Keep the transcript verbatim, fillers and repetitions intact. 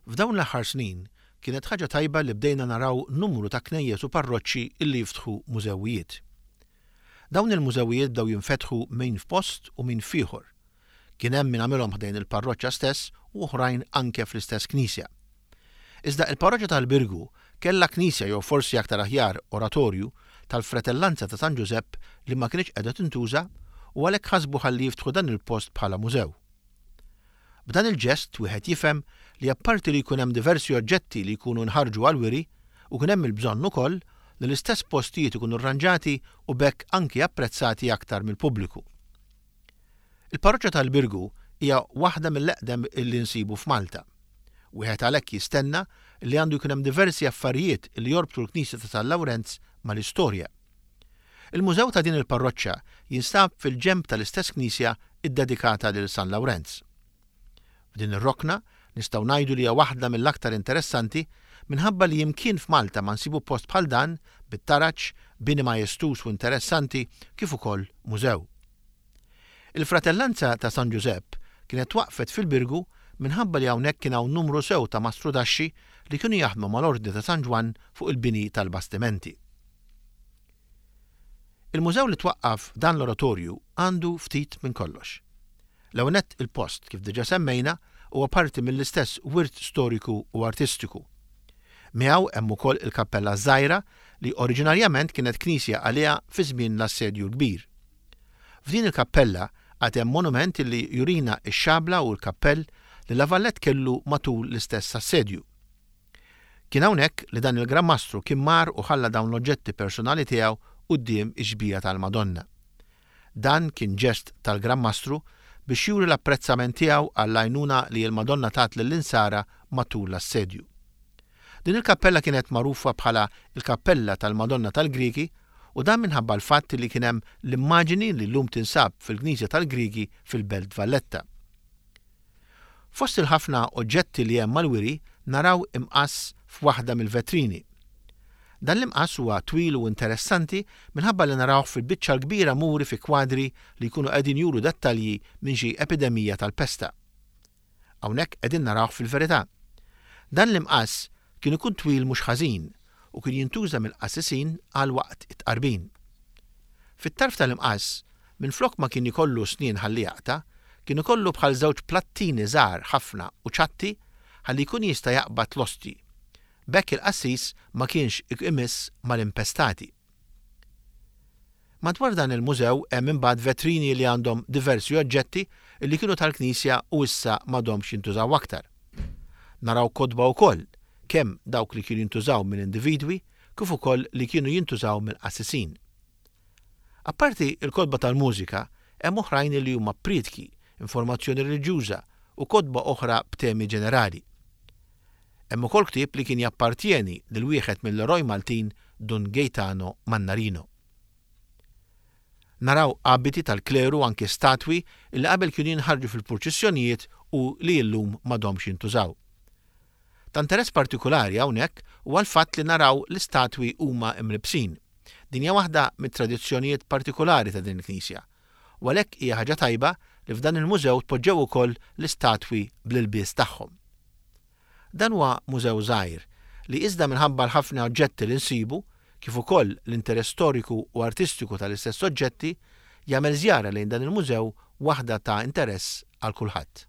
F'dawn l-aħħar snin kienet ħaġa tajba li bdejna naraw numru ta' knejjes u parroċċi illi jiftħu mużewijiet. Dawn il-mużewijiet bdew jinfetħu min f'post u min f'ieħor. Kien hemm min għamilhom ħdejn il-parroċċa stess u oħrajn anke fl-istess knisja. Iżda il-parroċċa tal-Birgu kellha knisja, jew forsi aktar aħjar oratorju tal-Fratellanza ta' San Ġużepp, li ma kienx qiegħda tintuża u għalhekk ħasbu ħalli jiftħu dan il-post bħala mużew. B'dan il-ġest wieħed jifhem li apparti li jkun hemm diversi oġġetti li jkunu nħarġu għal-wiri u kien hemm il-bżonn ukoll li l-istess postijiet ikunu rranġati u b'hekk anki apprezzati aktar mill-pubbliku. Il-parroċċa tal-Birgu hija waħda mill-eqdem illi nsibu f'Malta. Wieħed għalhekk jistenna li għandu jkun hemm diversi affarijiet li jorbtu l-Knisja ta' San Lawrenz mal-istorja. Il-mużew ta' din il-parroċċa jinstab fil-ġenb tal-istess knisja iddedikata lil San Lawrenz. F'din ir-rokna nistgħu ngħidu li hija waħda mill-aktar interessanti minħabba li imkien f'Malta ma nsibu post bħal dan bit-taraġ, bini majestuż u interessanti kif ukoll mużew. Il-Fratellanza ta' San Ġużepp kienet waqfet fil-Birgu minħabba li hawnhekk kien hawn numru sew ta' mastrudaxxi li kienu jaħdmu mal-Ordni ta' San Ġwann fuq il-bini tal-bastimenti. Il-mużew li twaqqaf dan l-oratorju għandu ftit minn kollox. L-ewwel nett, il-post, kif diġà semmejna, huwa parti mill-istess wirt storiku u artistiku. Miegħu hemm ukoll il-kappella żgħira li oriġinarjament kienet knisja għaliha fi żmien l-Assedju l-Kbir. F'din il-kappella għad hemm monument li jurina x-xabla u l-kappell li La Valette kellu matul l-istess assedju. Kien hawnhekk li dan il-Gran Mastru kien mar u ħalla dawn l-oġġetti personali tiegħu quddiem ix-xbieha tal-Madonna. Dan kien ġest tal-Gran Mastru biex juri l-apprezzament tiegħu għall-għajnuna li l-Madonna tat lill-insara matul l-assedju. Din il-kappella kienet magħrufa bħala il-Kappella tal-Madonna tal-Griegi, u dan minħabba l-fatt li kien hemm l-immaġini li llum tinsab fil-Knisja tal-Griegi fil-Belt Valletta. Fost il-ħafna oġġetti li hemm mal-wiri naraw imqass f'waħda mill-vetrini. Dan l-imqass huwa twil u interessanti minħabba li narawh fil-biċċa l-kbira muri fi kwadri li jkunu qegħdin juru dettalji minn xi epidemija tal-pesta. Hawnhekk qegħdin narawh fil-verità. Dan l-imqass kien ikun twil mhux ħażin u kien jintuża mill-qassisin għal waqt it-tqarbin. Fit-tarf tal-imqass, minflok ma kien ikollu snien ħalli jaqta', kien ikollu bħal żewġ plattini żgħar ħafna u ċatti ħalli jkun jista' jaqbad l-ostji. B'hekk il-qassis ma kienx imiss mal-impestati. Madwar dan il-mużew hemm imbagħad vetrini li għandhom diversi oġġetti li kienu tal-Knisja u issa m'għadhomx jintużaw aktar. Naraw kotba wkoll, kemm dawk li kienu jintużaw minn individwi kif ukoll li kienu jintużaw mill-qassisin. Apparti il-kotba tal-mużika, hemm oħrajn li huma prietki, informazzjoni reliġjuża u kotba oħra b'temi ġenerali. Hemm ukoll ktieb li kien jappartjeni lil wieħed mill-eroj Maltin, Dun Gaetano Mannarino. Naraw abiti tal-kleru, anke statwi li qabel kienu jinħarġu fil-purċissjonijiet u li llum m'għadhomx jintużaw. Ta' interess partikolari hawnhekk huwa l-fatt li naraw l-istatwi huma imlibsin. Din hija waħda mit-tradizzjonijiet partikolari ta' din il-knisja. U għalhekk hija ħaġa tajba li f'dan il-mużew tpoġġew ukoll l-istatwi bl-ilbies tagħhom. Dan huwa mużew żgħir li iżda minħabba l-ħafna oġġetti li nsibu, kif ukoll l-interess storiku u artistiku tal-istess oġġetti, jagħmel żjara lejn dan il-mużew waħda ta' interess għal kulħadd.